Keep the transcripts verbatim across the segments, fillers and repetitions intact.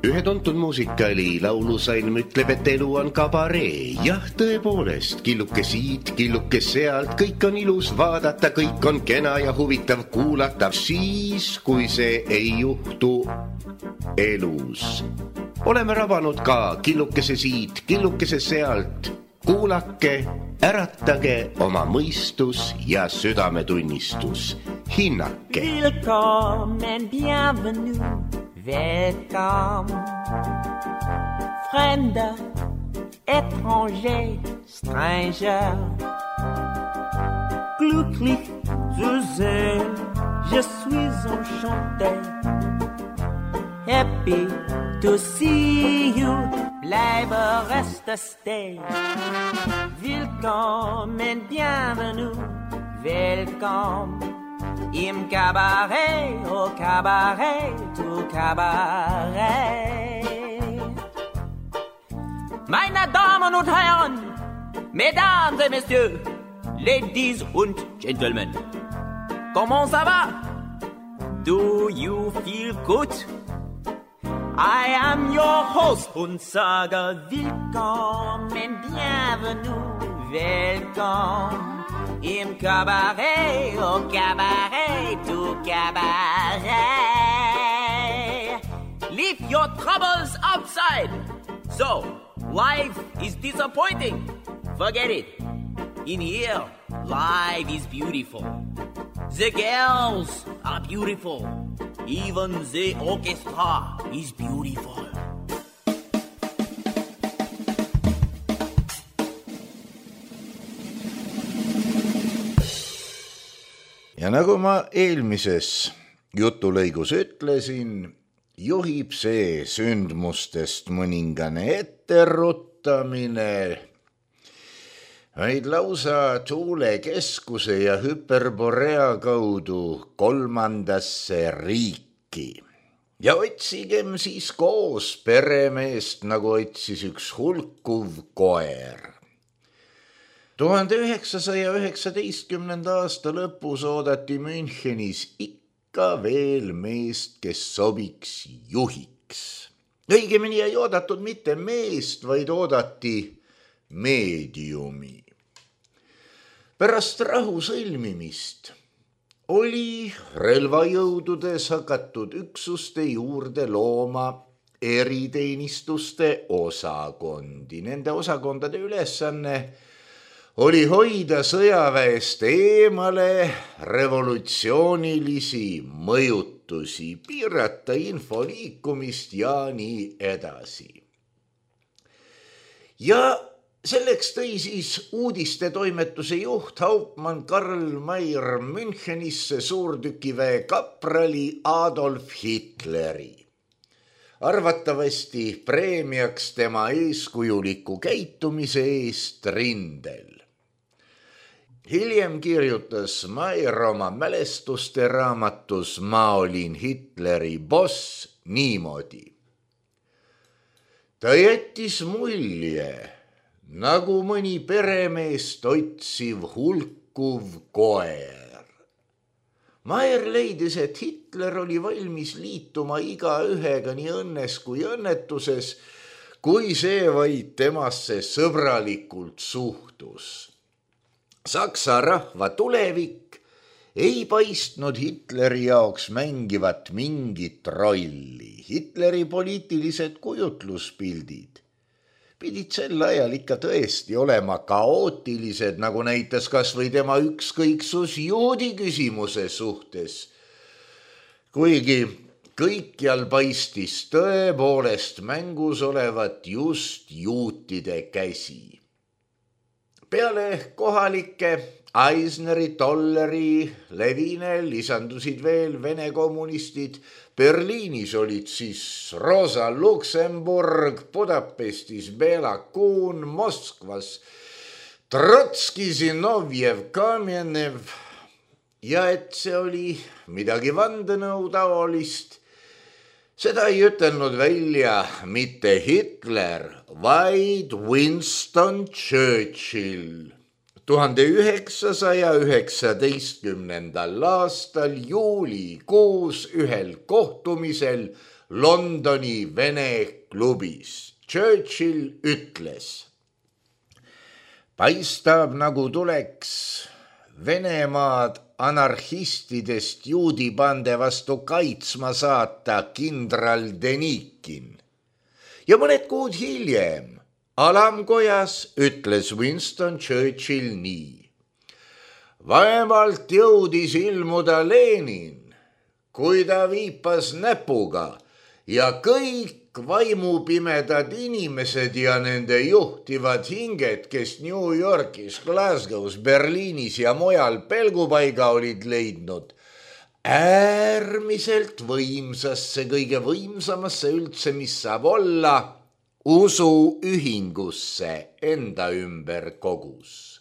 Ühe tuntud muusikali laulusalm ütleb, et elu on kabaree. Jah, tõepoolest, killuke siit, killuke sealt, kõik on ilus vaadata, kõik on kena ja huvitav kuulata, siis, kui see ei juhtu elus. Oleme rabanud ka killukese siit, killukese sealt. Kuulake, äratage oma mõistus ja südametunnistus. Hinnake. Willkommen, bienvenue, welcome. Fremder, étranger, stranger. Glücklich zu sehen, je suis enchanté. Happy to see you, bleibe reste stay. Willkommen, bienvenue, welcome. Im Cabaret, au Cabaret, au Cabaret. Meine Damen und Herren, Mesdames et Messieurs, Ladies und Gentlemen, comment ça va? Do you feel good? I am your host und sage willkommen, bienvenue, welcome. Im Cabaret, au Cabaret, au Cabaret. Leave your troubles outside. So, life is disappointing. Forget it. In here, life is beautiful. The girls are beautiful. Even the orchestra is beautiful. Ja nagu ma eelmises jutulõigus ütlesin, juhib see sündmustest mõningane etteruttamine, vaid lausa tuule keskuse ja Hyperborea kaudu kolmandasse riiki. Ja otsigem siis koos peremeest, nagu otsis üks hulkuv koer. tuhande üheksasaja üheksateistkümnenda aasta lõpus oodati Münchenis ikka veel meest, kes sobiks juhiks. Õigemini ei oodatud mitte meest, vaid oodati meediumi. Pärast rahu sõlmimist oli relvajõududes hakatud üksuste juurde looma eriteenistuste osakondi. Nende osakondade ülesanne oli hoida sõjaväest eemale revolutsioonilisi mõjutusi, piirata info liikumist ja nii edasi. Ja selleks tõi siis uudistetoimetuse juht Hauptmann Karl Mayr Münchenisse suurtükiväe kaprali Adolf Hitleri. Arvatavasti preemiaks tema eeskujuliku käitumise eest rindel. Hiljem kirjutas Mayr oma mälestuste raamatus Ma olin Hitleri boss niimoodi. Ta jättis mulje, nagu mõni peremeest otsiv hulkuv koer. Mayr leidis, et Hitler oli valmis liituma iga ühega nii õnnes kui õnnetuses, kui see vaid temasse sõbralikult suhtus. Saksa rahva tulevik ei paistnud Hitleri jaoks mängivat mingit rolli. Hitleri poliitilised kujutluspildid pidid sel ajal ikka tõesti olema kaootilised, nagu näitas kas või tema ükskõiksus juudi küsimuse suhtes. Kuigi kõikjal paistis tõepoolest mängus olevat just juutide käsi. Peale kohalike Eisneri, Tolleri, Levine lisandusid veel vene kommunistid. Berliinis olid siis Rosa Luxemburg, Budapestis Bela Kun, Moskvas Trotski, Zinovjev, Kamenev. Ja et see oli midagi vandenõu taolist, seda ei ütelnud välja mitte Hitler, vaid Winston Churchill. tuhande üheksasaja üheksateistkümnendal aastal juulikuus ühel kohtumisel Londoni Vene klubis Churchill ütles: paistab, nagu tuleks Venemaad anarhistidest juudibande vastu kaitsma saata kindral Denikin. Ja mõned kuud hiljem alamkojas ütles Winston Churchill nii: vaevalt jõudis ilmuda Lenin, kui ta viipas näpuga ja kõik vaimupimedad inimesed ja nende juhtivad hinged, kes New Yorgis, Glasgow's, Berliinis ja mujal pelgupaiga olid leidnud, äärmiselt võimsasse, kõige võimsamasse üldse, mis saab olla, usuühingusse enda ümber kogus.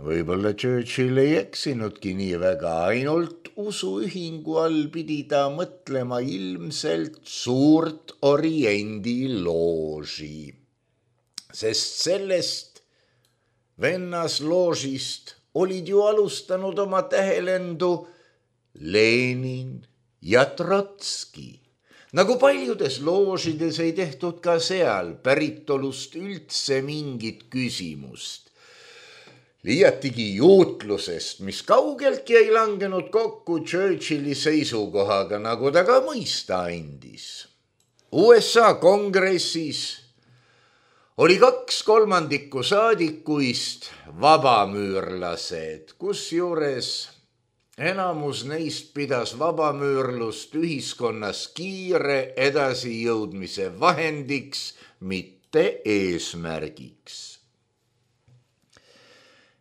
Võib-olla Churchill ei eksinudki nii väga, ainult usuühingu all pidi ta mõtlema ilmselt suurt Oriendi looži, sest sellest vennasloožist olid ju alustanud oma tähelendu Lenin ja Trotski. Nagu paljudes loožides ei tehtud ka seal päritolust üldse mingit küsimust. Liiatigi juutlusest, mis kaugeltki ei langenud kokku Churchilli seisukohaga, nagu ta ka mõista andis. U S A kongressis oli kaks kolmandikku saadikuist vabamüürlased, kusjuures enamus neist pidas vabamüürlust ühiskonnas kiire edasijõudmise vahendiks, mitte eesmärgiks.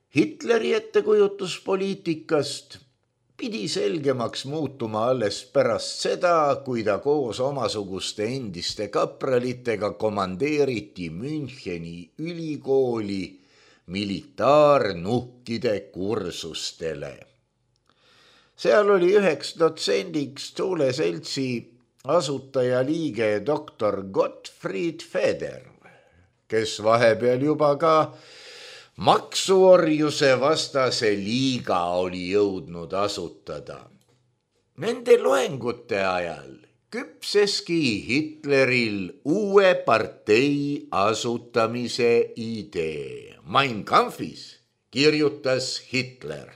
Hitleri ettekujutus poliitikast pidi selgemaks muutuma alles pärast seda, kui ta koos omasuguste endiste kapralitega komandeeriti Müncheni ülikooli militaarnuhkide kursustele. Seal oli üheks dotsendiks Thule seltsi asutajaliige doktor Gottfried Feder, kes vahepeal juba ka maksuorjuse vastase liiga oli jõudnud asutada. Nende loengute ajal küpseski Hitleril uue partei asutamise idee. Mein Kampfis kirjutas Hitler: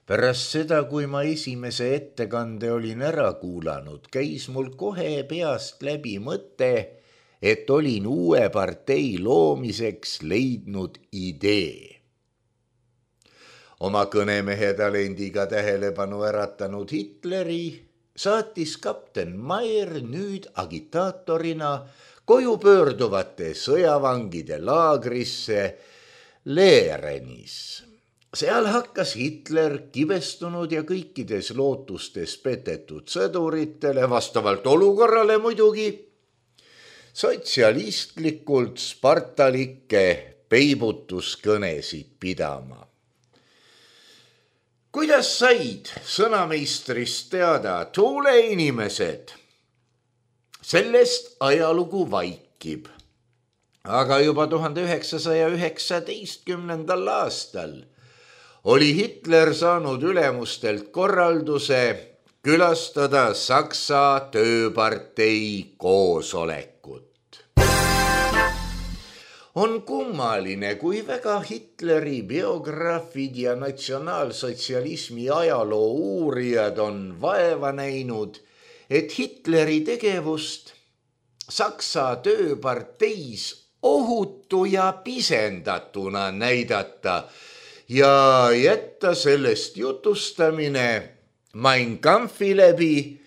pärast seda, kui ma esimese ettekande olin ära kuulanud, käis mul kohe peast läbi mõte, et olin uue partei loomiseks leidnud idee. Oma kõnemehe talendiga tähelepanu äratanud Hitleri saatis kapten Mayer nüüd agitaatorina koju pöörduvate sõjavangide laagrisse Leerenis. Seal hakkas Hitler kibestunud ja kõikides lootustes petetud sõduritele, vastavalt olukorrale muidugi, sotsialistlikult spartalikke peibutuskõnesid pidama. Kuidas said sõnameistrist teada Thule inimesed? Sellest ajalugu vaikib. Aga juba tuhande üheksasaja üheksateistkümnendal aastal oli Hitler saanud ülemustelt korralduse külastada Saksa tööpartei koosolekut. On kummaline, kui väga Hitleri biograafid ja natsionaalsotsialismi ajaloo uurijad on vaeva näinud, et Hitleri tegevust Saksa tööparteis ohutu ja pisendatuna näidata ja jätta sellest jutustamine Mein Kampfi läbi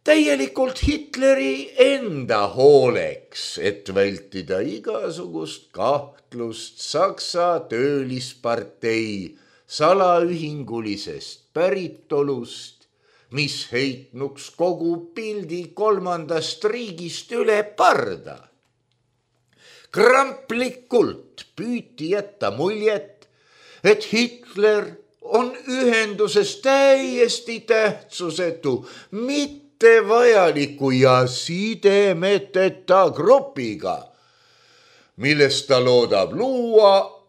täielikult Hitleri enda hooleks, et vältida igasugust kahtlust Saksa töölispartei salaühingulisest päritolust, mis heitnuks kogu pildi kolmandast riigist üle parda. Kramplikult püüti jätta muljet, et Hitler on ühenduses täiesti tähtsusetu, mitte vajaliku ja sidemeteta grupiga. millest ta loodab luua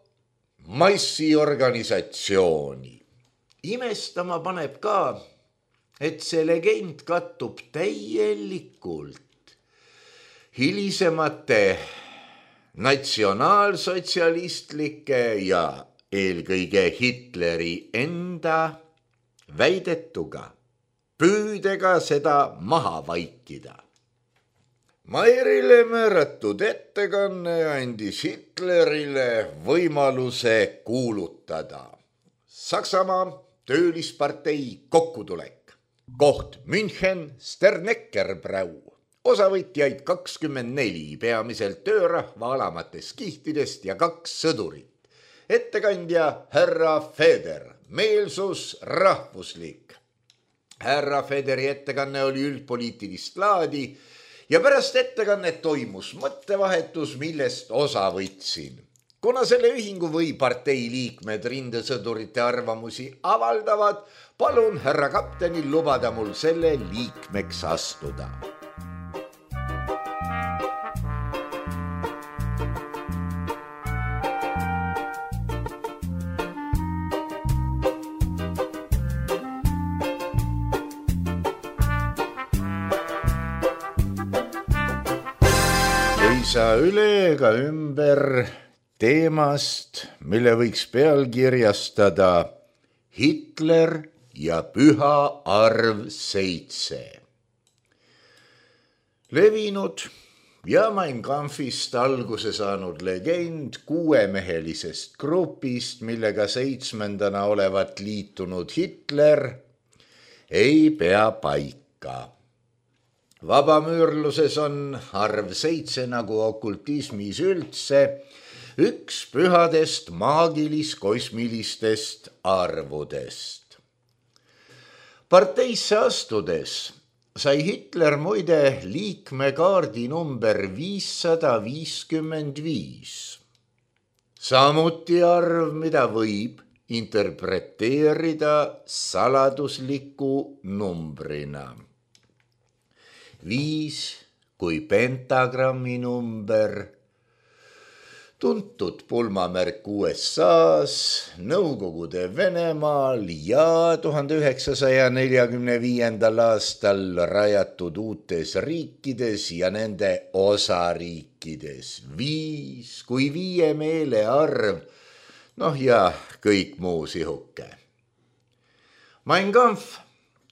massiorganisatsiooni. Imestama paneb ka, et see legend kattub täielikult hilisemate natsionaalsotsialistlike ja eelkõige Hitleri enda väidetuga, püüdega seda maha vaikida. Mairile määratud ettekanne andis Hitlerile võimaluse kuulutada Saksamaa töölispartei kokkutulek. Koht München, Sterneckerbrau. Osavõtjaid kakskümmend neli, peamiselt töörahva alamatest kihtidest ja kaks sõdurit. Ettekandja härra Feder, meelsus rahvuslik. Härra Federi ettekanne oli üldpoliitilist laadi ja pärast ettekannet toimus mõttevahetus, millest osa võtsin. Kuna selle ühingu või partei liikmed rindesõdurite arvamusi avaldavad, palun härra kaptenil lubada mul selle liikmeks astuda. Ei saa üle ega ümber teemast, mille võiks pealkirjastada Hitler ja püha arv seitse. Levinud ja Mein Kampfist alguse saanud legend kuuemehelisest grupist, millega seitsmendana olevat liitunud Hitler, ei pea paika. Vabamüürluses on arv seitse nagu okultismis üldse üks pühadest maagilis-kosmilistest arvudest. Parteisse astudes sai Hitler muide liikmekaardi number viissada viiskümmend viis. Samuti arv, mida võib interpreteerida saladusliku numbrina. Viis kui pentagrammi number, tuntud pulmamärk U S A-s, Nõukogude Venemaal ja tuhande üheksasaja neljakümne viiendal aastal rajatud uutes riikides ja nende osariikides. Viis kui viie meele arv, noh ja kõik muu sihuke. Mein Kampf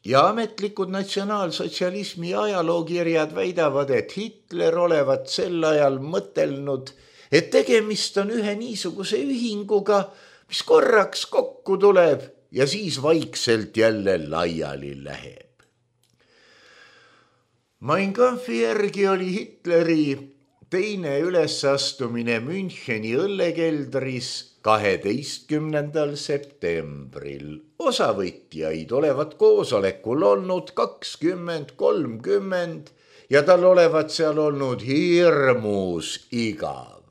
ja ametlikud natsionaalsotsialismi ajalookirjad väidavad, et Hitler olevat sel ajal mõtelnud, et tegemist on ühe niisuguse ühinguga, mis korraks kokku tuleb ja siis vaikselt jälle laiali läheb. Mein Kampfi järgi oli Hitleri teine ülesastumine Müncheni õllekeldris kaheteistkümnendal septembril. Osavõtjaid olevat koosolekul olnud kakskümmend kolmkümmend ja tal olevat seal olnud hirmus igav.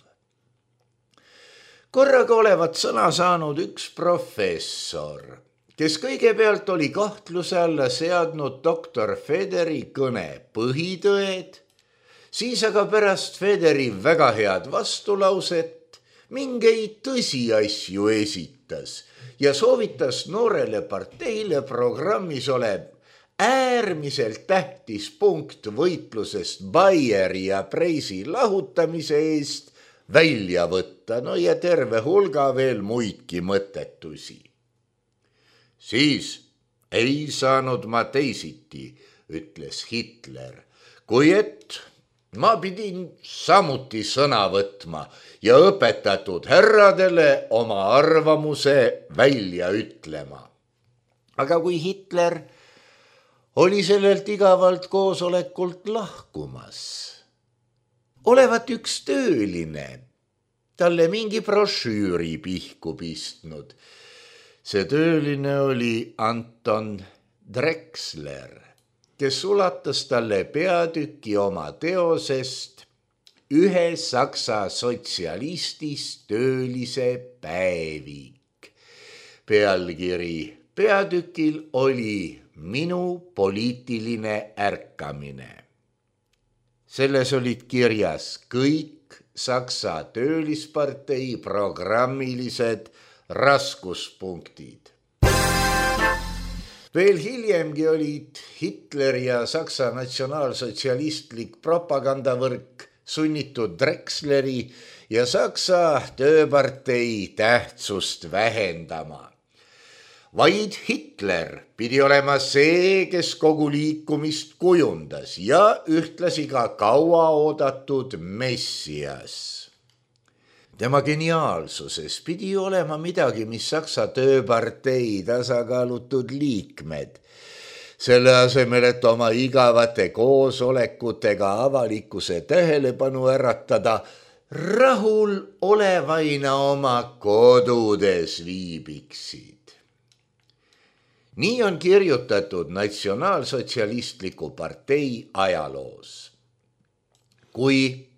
Korraga olevat sõna saanud üks professor, kes kõigepealt oli kahtluse alla seadnud doktor Federi kõne põhitõed, siis aga pärast Federi väga head vastulauset mingeid tõsiasju esitas ja soovitas noorele parteile programmis olev äärmiselt tähtis punkt võitlusest Bayeri ja Preisi lahutamise eest välja võtta, no ja terve hulga veel muidki mõttetusi. Siis ei saanud ma teisiti, ütles Hitler, kui et ma pidin samuti sõna võtma ja õpetatud härradele oma arvamuse välja ütlema. Aga kui Hitler oli sellelt igavalt koosolekult lahkumas, olevat üks tööline talle mingi brošüüri pihku pistnud. See tööline oli Anton Drexler, kes ulatas talle peatüki oma teosest Ühe saksa sotsialistist töölise päevik. Pealkiri peatükil oli Minu poliitiline ärkamine. Selles olid kirjas kõik Saksa töölispartei programmilised raskuspunktid. Veel hiljemgi olid Hitler ja Saksa natsionaalsotsialistlik propagandavõrk sunnitud Drexleri ja Saksa tööpartei tähtsust vähendama. Vaid Hitler pidi olema see, kes kogu liikumist kujundas ja ühtlasi ka kaua oodatud messias. Tema geniaalsuses pidi olema midagi, mis Saksa tööpartei tasakaalutud liikmed, selle asemel, et oma igavate koosolekutega avalikkuse tähelepanu äratada, rahul olevaina oma kodudes viibiksid. Nii on kirjutatud natsionaalsotsialistliku partei ajaloos. Kui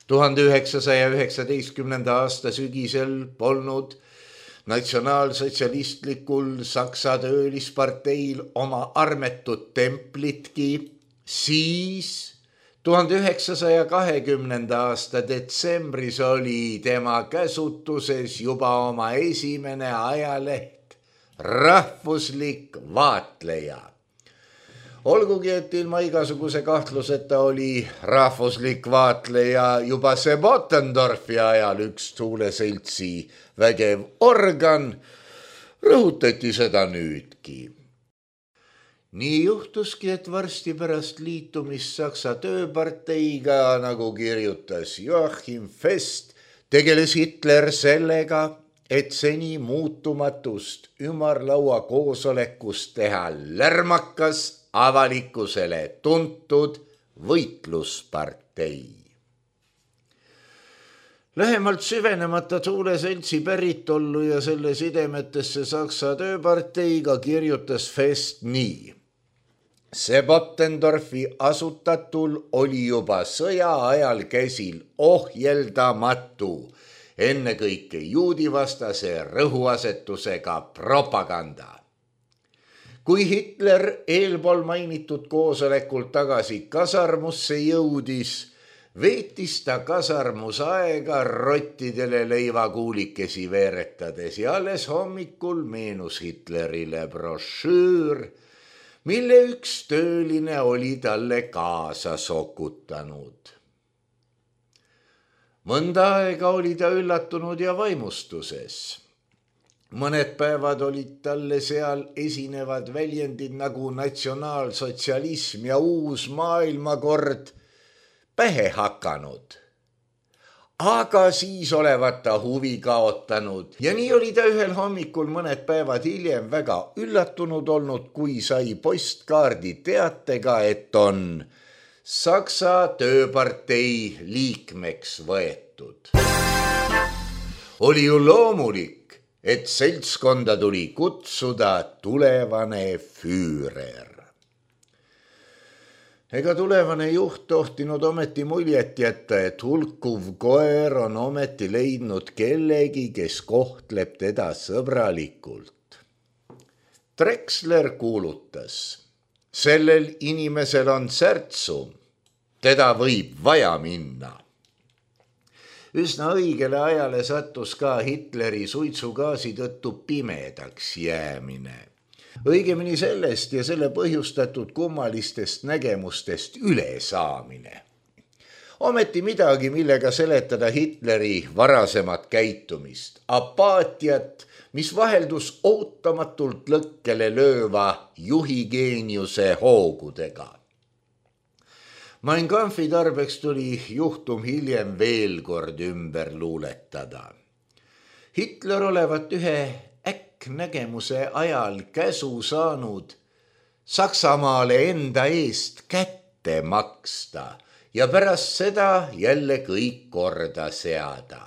tuhande üheksasaja üheksateistkümnenda aasta sügisel polnud natsionaalsotsialistlikul Saksa töölisparteil oma armetut templitki, siis tuhande üheksasaja kahekümnenda aasta detsembris oli tema käsutuses juba oma esimene ajaleht Rahvuslik Vaatleja. Olgugi, et ilma igasuguse kahtluseta oli Rahvuslik Vaatleja juba Sepp Ottendorfi ajal üks tuuleseltsi vägev organ, rõhutati seda nüüdki. Nii juhtuski, et varsti pärast liitumist Saksa tööparteiga, nagu kirjutas Joachim Fest, tegeles Hitler sellega, et seni muutumatust ümarlaua koosolekust teha lärmakas avalikkusele tuntud võitluspartei. Lähemalt süvenemata tuuleseltsi päritollu ja selle sidemetesse Saksa tööparteiga kirjutas Fest nii. Sepp Ottendorfi asutatul oli juba sõja ajal käsil ohjeldamatu, ennekõike juudivastase rõhuasetusega propaganda. Kui Hitler eelpool mainitud koosolekul tagasi kasarmusse jõudis, veetis ta kasarmus aega rottidele leivakuulikesi veeretades ja alles hommikul meenus Hitlerile brošüür, mille üks tööline oli talle kaasa sokutanud. Mõnda aega oli ta üllatunud ja vaimustuses. Mõned päevad olid talle seal esinevad väljendid nagu natsionaalsotsialism ja uus maailmakord pähe hakanud. Aga siis olevat ta huvi kaotanud ja nii oli ta ühel hommikul mõned päevad hiljem väga üllatunud olnud, kui sai postkaardi teatega, et on Saksa tööpartei liikmeks võetud. Oli ju loomulik, et seltskonda tuli kutsuda tulevane Führer. Ega tulevane juht tohtinud ometi muljet jätta, et hulkuv koer on ometi leidnud kellegi, kes kohtleb teda sõbralikult. Drexler kuulutas, sellel inimesel on särtsu, teda võib vaja minna. Üsna õigele ajale sattus ka Hitleri suitsugaasi tõttu pimedaks jäämine. Õigemini sellest ja selle põhjustatud kummalistest nägemustest üle saamine. Ometi midagi, millega seletada Hitleri varasemat käitumist, apaatiat, mis vaheldus ootamatult lõkkele lööva juhigeeniuse hoogudega. Mein Kampfi tarbeks tuli juhtum hiljem veel kord ümber luuletada. Hitler olevat ühe äkknägemuse ajal käsu saanud Saksamaale enda eest kätte maksta ja pärast seda jälle kõik korda seada.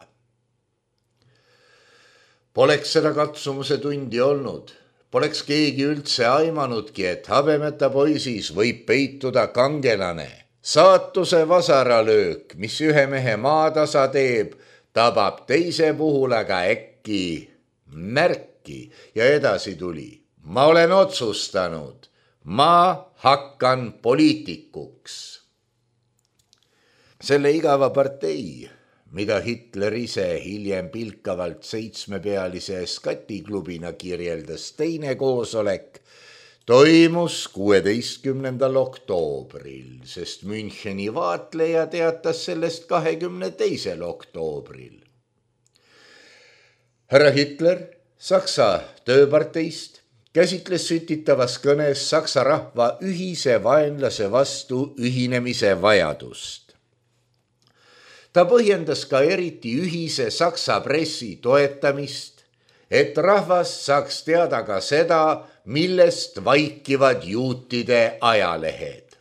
Poleks seda katsumuse tundi olnud, poleks keegi üldse aimanudki, et habemeta poisis võib peituda kangelane. Saatuse vasaralöök, mis ühe mehe maatasa teeb, tabab teise puhul aga äkki märki ja edasi tuli. Ma olen otsustanud, ma hakkan poliitikuks. Selle igava partei, mida Hitler ise hiljem pilkavalt seitsmepealise skatiklubina kirjeldas teine koosolek, toimus kuueteistkümnendal oktoobril, sest Müncheni vaatleja teatas sellest kahekümne teisel oktoobril. Härra Hitler Saksa tööparteist käsitles sütitavas kõnes Saksa rahva ühise vaenlase vastu ühinemise vajadust. Ta põhjendas ka eriti ühise Saksa pressi toetamist, et rahvas saaks teada ka seda, millest vaikivad juutide ajalehed.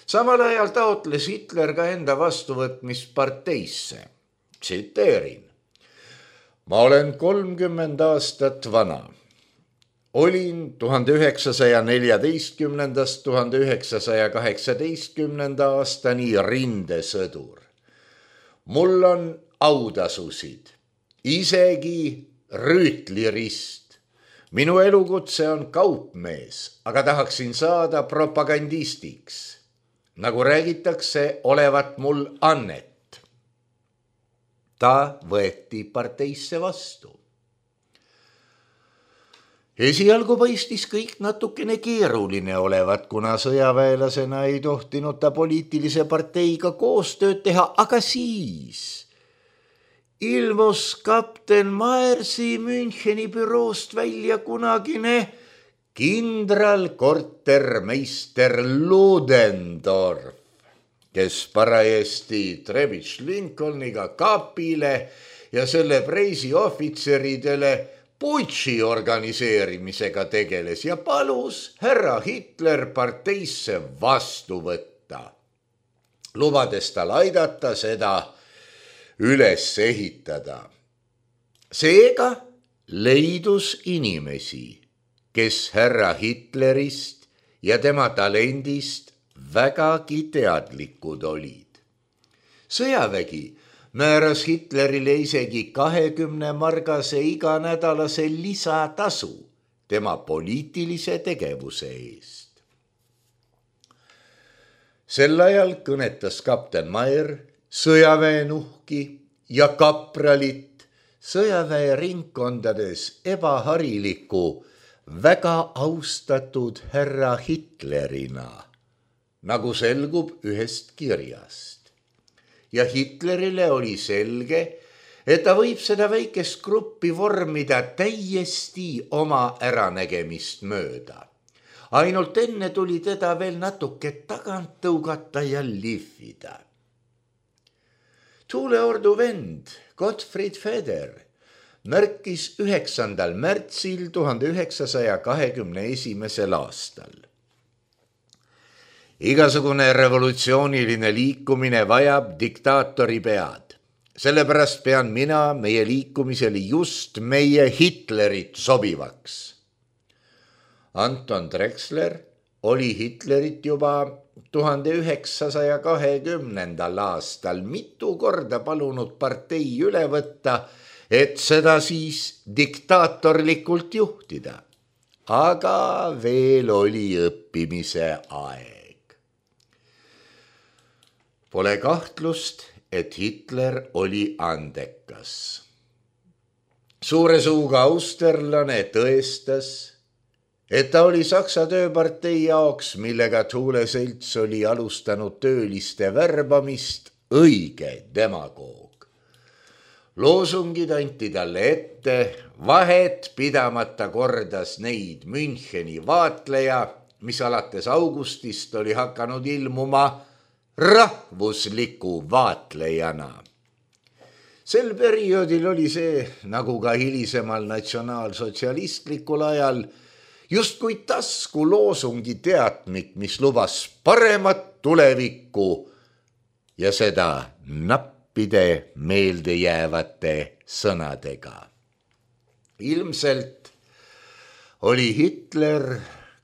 Samal ajal taotles Hitler ka enda vastuvõtmist parteisse. Tsiteerin. Ma olen kolmkümmend aastat vana. Olin tuhande üheksasaja neljateistkümnendast tuhande üheksasaja kaheksateistkümnenda aastani rindesõdur. Mul on autasusid, isegi rüütlirist. Minu elukutse on kaupmees, aga tahaksin saada propagandistiks. Nagu räägitakse, olevat mul annet. Ta võeti parteisse vastu. Esialgu paistis kõik natukene keeruline olevat, kuna sõjaväelasena ei tohtinud ta poliitilise parteiga koostööd teha, aga siis ilmus kapten Maersi Müncheni büroost välja kunagine kindralkortermeister Ludendorff, kes parajasti Trebitš Lincolniga kapile ja selle preisi ohvitseridele putši organiseerimisega tegeles ja palus härra Hitler parteisse vastu võtta, lubades tal aidata seda üles ehitada. Seega leidus inimesi, kes härra Hitlerist ja tema talendist vägagi teadlikud olid. Sõjavägi määras Hitlerile isegi kahekümne margase iganädalase lisatasu tema poliitilise tegevuse eest. Sel ajal kõnetas kapten Mayer sõjaväenuhki ja kapralit sõjaväe ringkondades ebahariliku, väga austatud härra Hitlerina, nagu selgub ühest kirjast. Ja Hitlerile oli selge, et ta võib seda väikest gruppi vormida täiesti oma äranägemist mööda. Ainult enne tuli teda veel natuke tagant tõugata ja lihvida. Tuuleordu vend Gottfried Feder märkis üheksandal märtsil tuhande üheksasaja kahekümne esimesel aastal. Igasugune revolutsiooniline liikumine vajab diktaatori pead. Sellepärast pean mina meie liikumisele just meie Hitlerit sobivaks. Anton Drexler oli Hitlerit juba tuhande üheksasaja kahekümnendal aastal mitu korda palunud partei üle võtta, et seda siis diktaatorlikult juhtida. Aga veel oli õppimise aeg. Pole kahtlust, et Hitler oli andekas. Suure suuga austerlane tõestas, et ta oli Saksa tööpartei jaoks, millega Thule selts oli alustanud tööliste värbamist, õige demagoog. Loosungid anti talle ette, vahet pidamata kordas neid Müncheni vaatleja, mis alates augustist oli hakanud ilmuma rahvusliku vaatlejana. Sel perioodil oli see, nagu ka hilisemal natsionaalsotsialistlikul ajal, justkui tasku loosungi teatmik, mis lubas paremat tulevikku ja seda nappide meeldejäävate sõnadega. Ilmselt oli Hitler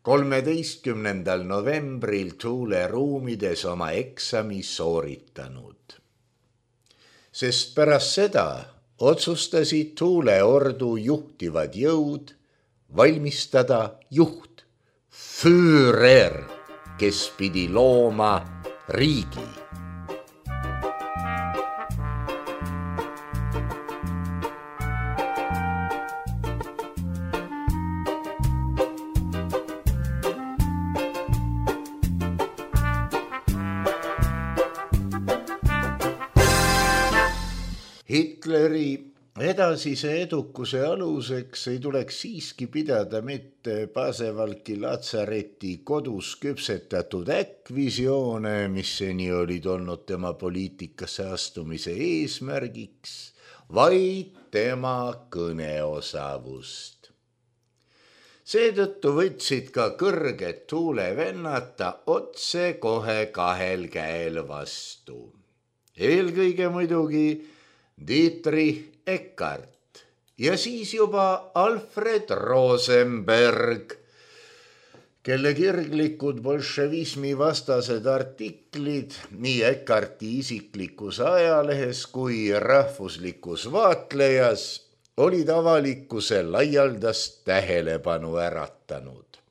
kolmeteistkümnendal novembril Thule ruumides oma eksami sooritanud. Sest pärast seda otsustasid Thule ordu juhtivad jõud valmistada juht, Führer, kes pidi looma riigi. Hitleri edasise edukuse aluseks ei tuleks siiski pidada mitte Pasevalki latsareti kodus küpsetatud äkkvisioone, mis seni olid olnud tema poliitikasse astumise eesmärgiks, vaid tema kõneosavust. Seetõttu võtsid ka kõrged tuulevennata otse kohe kahel käel vastu. Eelkõige muidugi Dietrich Eckart ja siis juba Alfred Rosenberg, kelle kirglikud bolševismi vastased artiklid nii Eckarti isiklikus ajalehes kui rahvuslikus vaatlejas olid avalikkuse laialdast tähelepanu äratanud.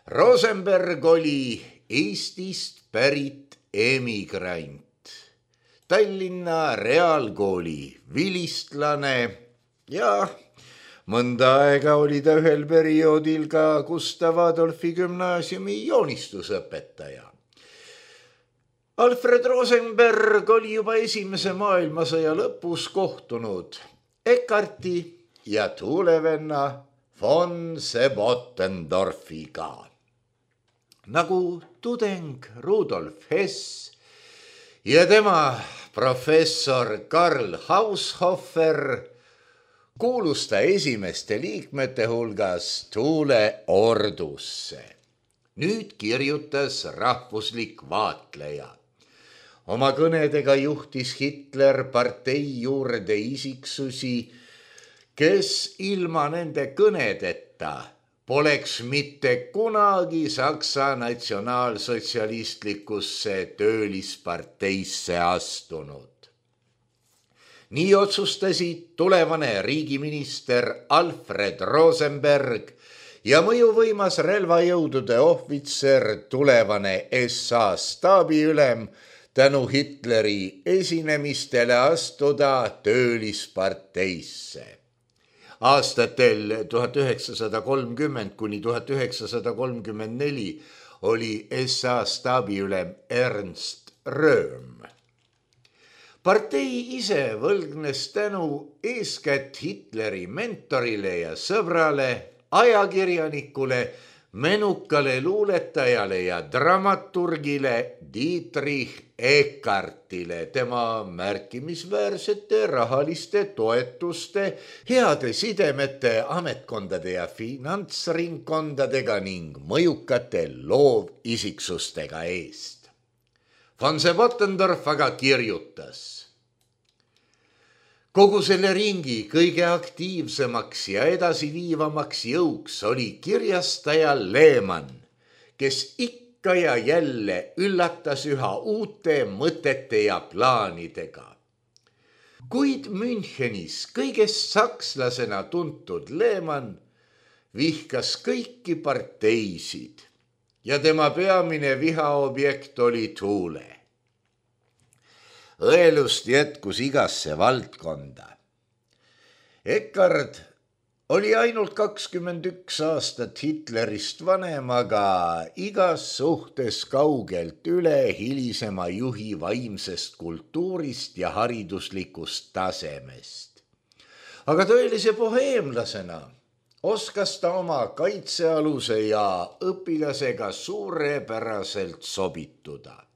Rosenberg oli Eestist pärit emigrant, Tallinna reaalkooli vilistlane ja mõnda aega oli ta ühel perioodil ka Gustav Adolfi gümnaasiumi joonistusõpetaja. Alfred Rosenberg oli juba esimese maailmasõja lõpus kohtunud Eckarti ja tuulevenna von Sebottendorfiga. Nagu tudeng Rudolf Hess ja tema professor Karl Haushofer kuulus ta esimeste liikmete hulgas tuuleordusse. Nüüd kirjutas rahvuslik vaatleja. Oma kõnedega juhtis Hitler partei juurde isiksusi, kes ilma nende kõnedeta poleks mitte kunagi Saksa natsionaalsotsialistlikusse töölisparteisse astunud. Nii otsustasid tulevane riigiminister Alfred Rosenberg ja mõjuvõimas relvajõudude ohvitser, tulevane S A staabiülem, tänu Hitleri esinemistele astuda töölisparteisse. Aastatel tuhat üheksasada kolmkümmend kuni tuhat üheksasada kolmkümmend neli oli S A staabiülem Ernst Röhm. Partei ise võlgnes tänu eeskätt Hitleri mentorile ja sõbrale, ajakirjanikule, menukale luuletajale ja dramaturgile Dietrich Eckartile tema märkimisväärsete rahaliste toetuste, heade sidemete ametkondade ja finantsringkondadega ning mõjukate loovisiksustega eest. Von Sebottendorf aga kirjutas: kogu selle ringi kõige aktiivsemaks ja edasiviivamaks jõuks oli kirjastaja Lehmann, kes ikka ja jälle üllatas üha uute mõtete ja plaanidega. Kuid Münchenis kõigest sakslasena tuntud Lehmann vihkas kõiki parteisid ja tema peamine vihaobjekt oli tuule. Õelust jätkus igasse valdkonda. Eckart oli ainult kakskümmend üks aastat Hitlerist vanem, aga igas suhtes kaugelt üle hilisema juhi vaimsest kultuurist ja hariduslikust tasemest. Aga tõelise boheemlasena oskas ta oma kaitsealuse ja õpilasega suurepäraselt sobituda.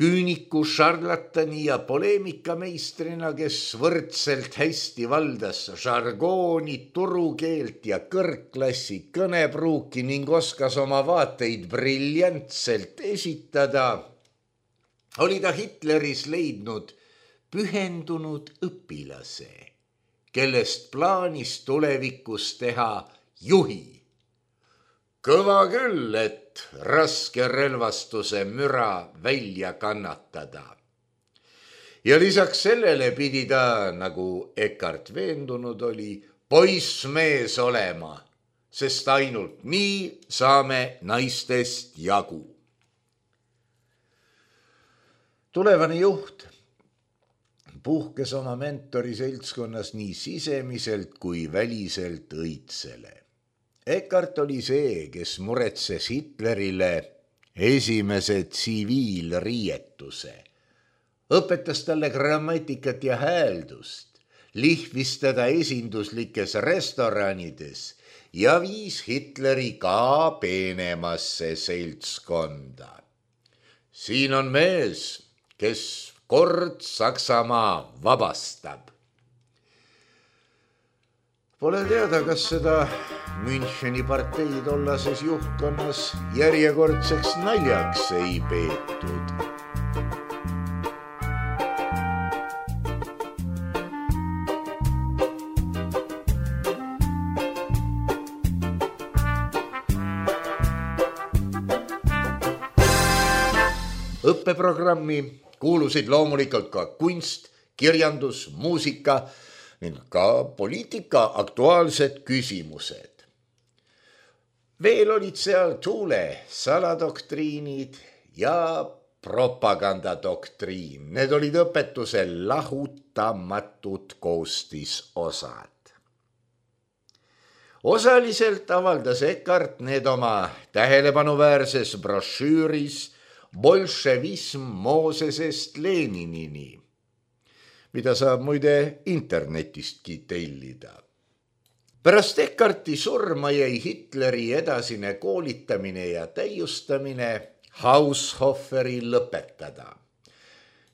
Küüniku, šarlatani ja poleemikameistrina, kes võrdselt hästi valdas žargooni, turukeelt ja kõrgklassi kõnepruuki ning oskas oma vaateid briljantselt esitada, oli ta Hitleris leidnud pühendunud õpilase, kellest plaanis tulevikus teha juhi. Kõva küll, et raske relvastuse müra välja kannatada. Ja lisaks sellele pidi ta, nagu Eckart veendunud oli, poissmees olema, sest ainult nii saame naistest jagu. Tulevane juht puhkes oma mentori seltskonnas nii sisemiselt kui väliselt õitsele. Eckart oli see, kes muretses Hitlerile esimese tsiviilriietuse, õpetas talle grammatikat ja hääldust, lihvis teda esinduslikes restoranides ja viis Hitleri ka peenemasse seltskonda. Siin on mees, kes kord Saksamaa vabastab. Pole teada, kas seda Müncheni partei tollases juhtkonnas järjekordseks naljaks ei peetud. Õppeprogrammi kuulusid loomulikult ka kunst, kirjandus, muusika ning ka poliitika aktuaalsed küsimused. Veel olid seal Thule saladoktriinid ja propagandadoktriin. Need olid õpetuse lahutamatud koostisosad. Osaliselt avaldas Eckart need oma tähelepanuväärses brošüüris Bolševism Moosesest Leninini, mida saab muide internetistki tellida. Pärast Eckarti surma jäi Hitleri edasine koolitamine ja täiustamine Haushoferi lõpetada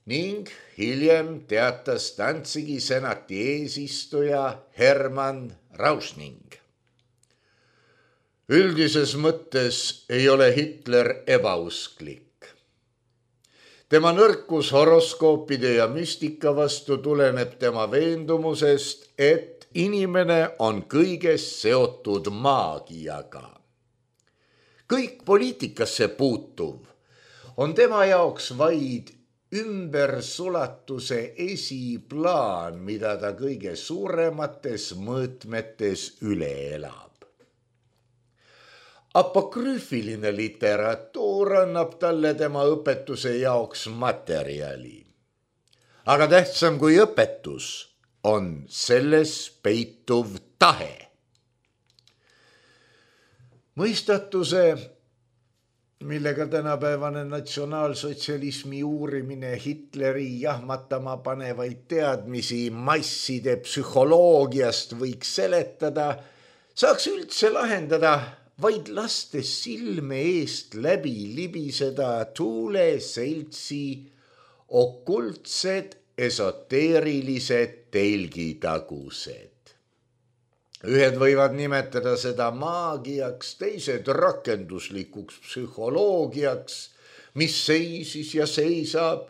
ning hiljem teatas Danzigi senati eesistuja Hermann Rauschning. Üldises mõttes ei ole Hitler ebausklik. Tema nõrkus horoskoopide ja müstika vastu tuleneb tema veendumusest, et inimene on kõigest seotud maagiaga. Kõik poliitikasse puutuv on tema jaoks vaid ümbersulatuse esiplaan, mida ta kõige suuremates mõõtmetes üle elab. Apokrüüfiline literatuur annab talle tema õpetuse jaoks materjali. Aga tähtsam kui õpetus on selles peituv tahe. Mõistatuse, millega tänapäevane natsionaalsotsialismi uurimine Hitleri jahmatama panevaid teadmisi masside psühholoogiast võiks seletada, saaks üldse lahendada vaid lastes silme eest läbi libiseda Thule seltsi okultsed esoteerilised telgitagused. Ühed võivad nimetada seda maagiaks, teised rakenduslikuks psühholoogiaks, mis seisis ja seisab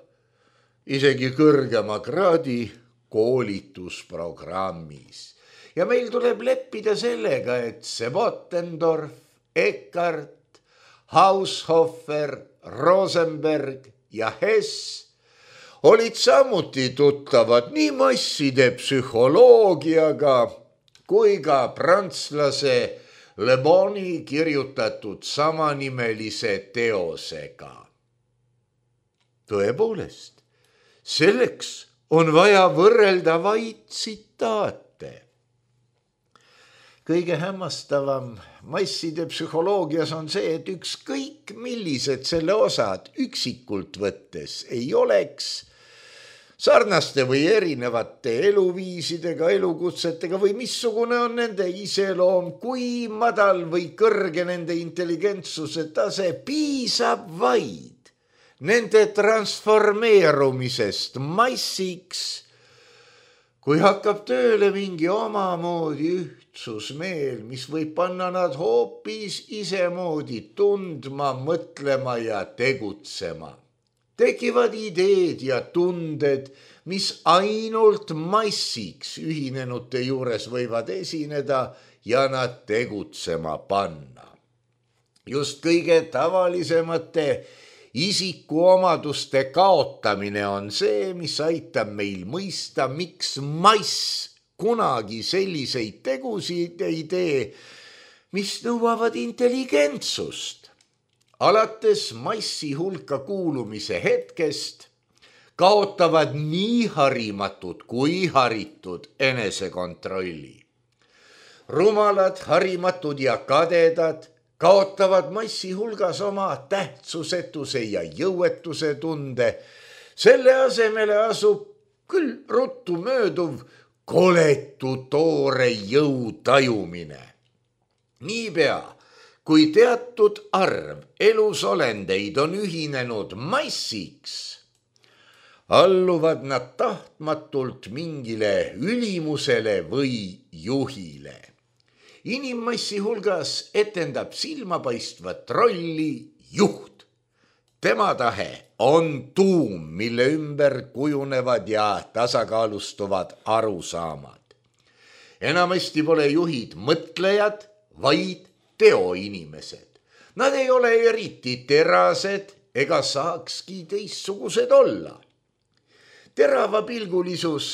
isegi kõrgema kraadi koolitusprogrammis. Ja meil tuleb leppida sellega, et Sebotendorf, Eckart, Haushofer, Rosenberg ja Hess olid samuti tuttavad nii masside psühholoogiaga kui ka prantslase Le Boni kirjutatud samanimelise teosega. Tõepoolest, selleks on vaja võrrelda vaid tsitaate. Kõige hämmastavam masside psühholoogias on see, et ükskõik millised selle osad üksikult võttes ei oleks sarnaste või erinevate eluviisidega, elukutsetega või missugune on nende iseloom, kui madal või kõrge nende intelligentsuse tase, piisab vaid nende transformeerumisest massiks, kui hakkab tööle mingi omamoodi ühtsusmeel, mis võib panna nad hoopis isemoodi tundma, mõtlema ja tegutsema. Tekivad ideed ja tunded, mis ainult massiks ühinenute juures võivad esineda ja nad tegutsema panna. Just kõige tavalisemate isikuomaduste kaotamine on see, mis aitab meil mõista, miks mass kunagi selliseid tegusid ei tee, mis nõuavad intelligentsust. Alates massi hulka kuulumise hetkest kaotavad nii harimatud kui haritud enesekontrolli. Rumalad, harimatud ja kadedad kaotavad massi hulgas oma tähtsusetuse ja jõuetuse tunde, selle asemele asub küll ruttu mööduv koletu toore jõu tajumine. Niipea, kui teatud arv elusolendeid on ühinenud massiks, alluvad nad tahtmatult mingile ülimusele või juhile. Inimmassi hulgas etendab silmapaistvat rolli juht. Tema tahe on tuum, mille ümber kujunevad ja tasakaalustuvad arusaamad. Enamasti pole juhid mõtlejad, vaid teoinimesed. Nad ei ole eriti terased ega saakski teistsugused olla. Teravapilgulisus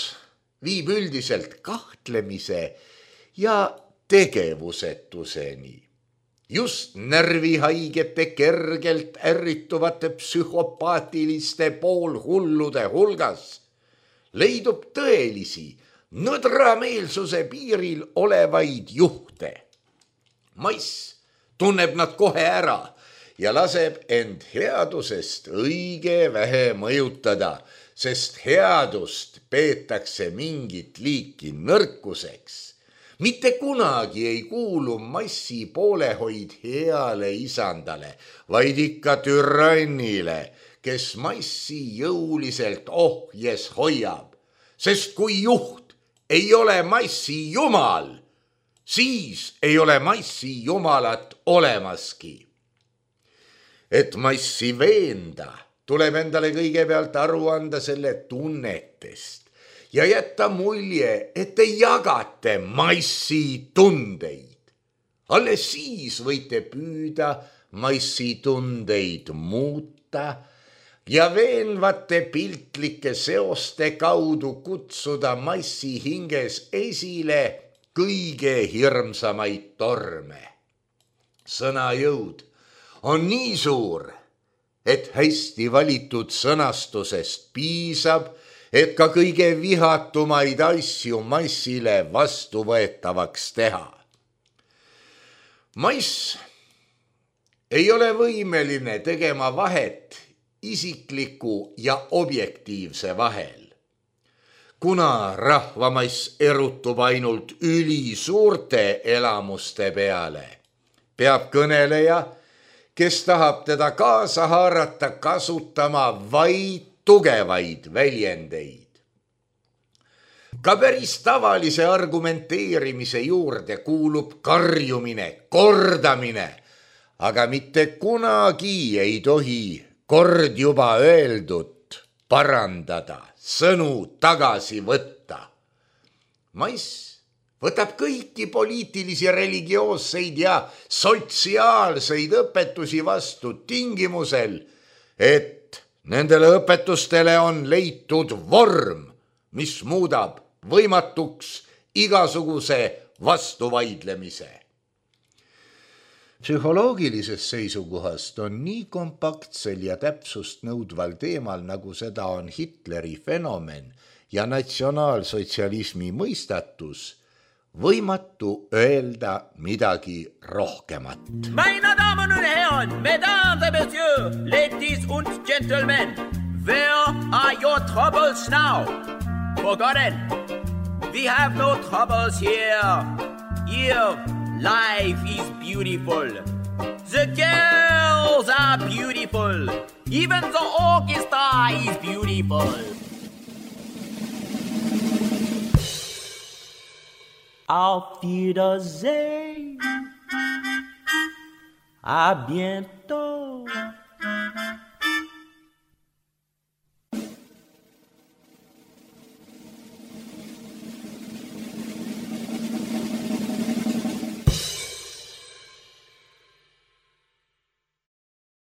viib üldiselt kahtlemise ja tegevusetuseni. Just närvihaigete kergelt ärrituvate psühhopaatiliste poolhullude hulgas leidub tõelisi nõdrameelsuse piiril olevaid juhte. Maiss tunneb nad kohe ära ja laseb end headusest õige vähe mõjutada, sest headust peetakse mingit liiki nõrkuseks. Mitte kunagi ei kuulu massi poolehoid heale isandale, vaid ikka türannile, kes massi jõuliselt ohjes hoiab. Sest kui juht ei ole massi jumal, siis ei ole massi jumalat olemaski. Et massi veenda, tuleb endale kõigepealt aru anda selle tunnetest ja jätta mulje, et te jagate massi tundeid. Alles siis võite püüda massi tundeid muuta ja veenvate piltlike seoste kaudu kutsuda massi hinges esile kõige hirmsamaid torme. Sõna jõud on nii suur, et hästi valitud sõnastusest piisab, et ka kõige vihatumaid asju massile vastuvõetavaks teha. Mass ei ole võimeline tegema vahet isikliku ja objektiivse vahel. Kuna rahvamass erutub ainult ülisuurte elamuste peale, peab kõneleja, kes tahab teda kaasa haarata, kasutama vaid tugevaid väljendeid. Ka päris tavalise argumenteerimise juurde kuulub karjumine, kordamine, aga mitte kunagi ei tohi kord juba öeldut parandada, sõnu tagasi võtta. Maiss võtab kõiki poliitilisi, religioosseid ja sotsiaalseid õpetusi vastu tingimusel, et nendele õpetustele on leitud vorm, mis muudab võimatuks igasuguse vastuvaidlemise. Psühholoogilisest seisukohast on nii kompaktsel ja täpsust nõudval teemal, nagu seda on Hitleri fenomen ja natsionaalsotsialismi mõistatus, võimatu öelda midagi rohkemat. Meine Damen und Herren, Mesdames et Messieurs, ladies und Gentlemen, where are your troubles now? Forgotten, we have no troubles here. Here, life is beautiful. The girls are beautiful. Even the orchestra is beautiful. Auf Wiedersehen. À bientôt.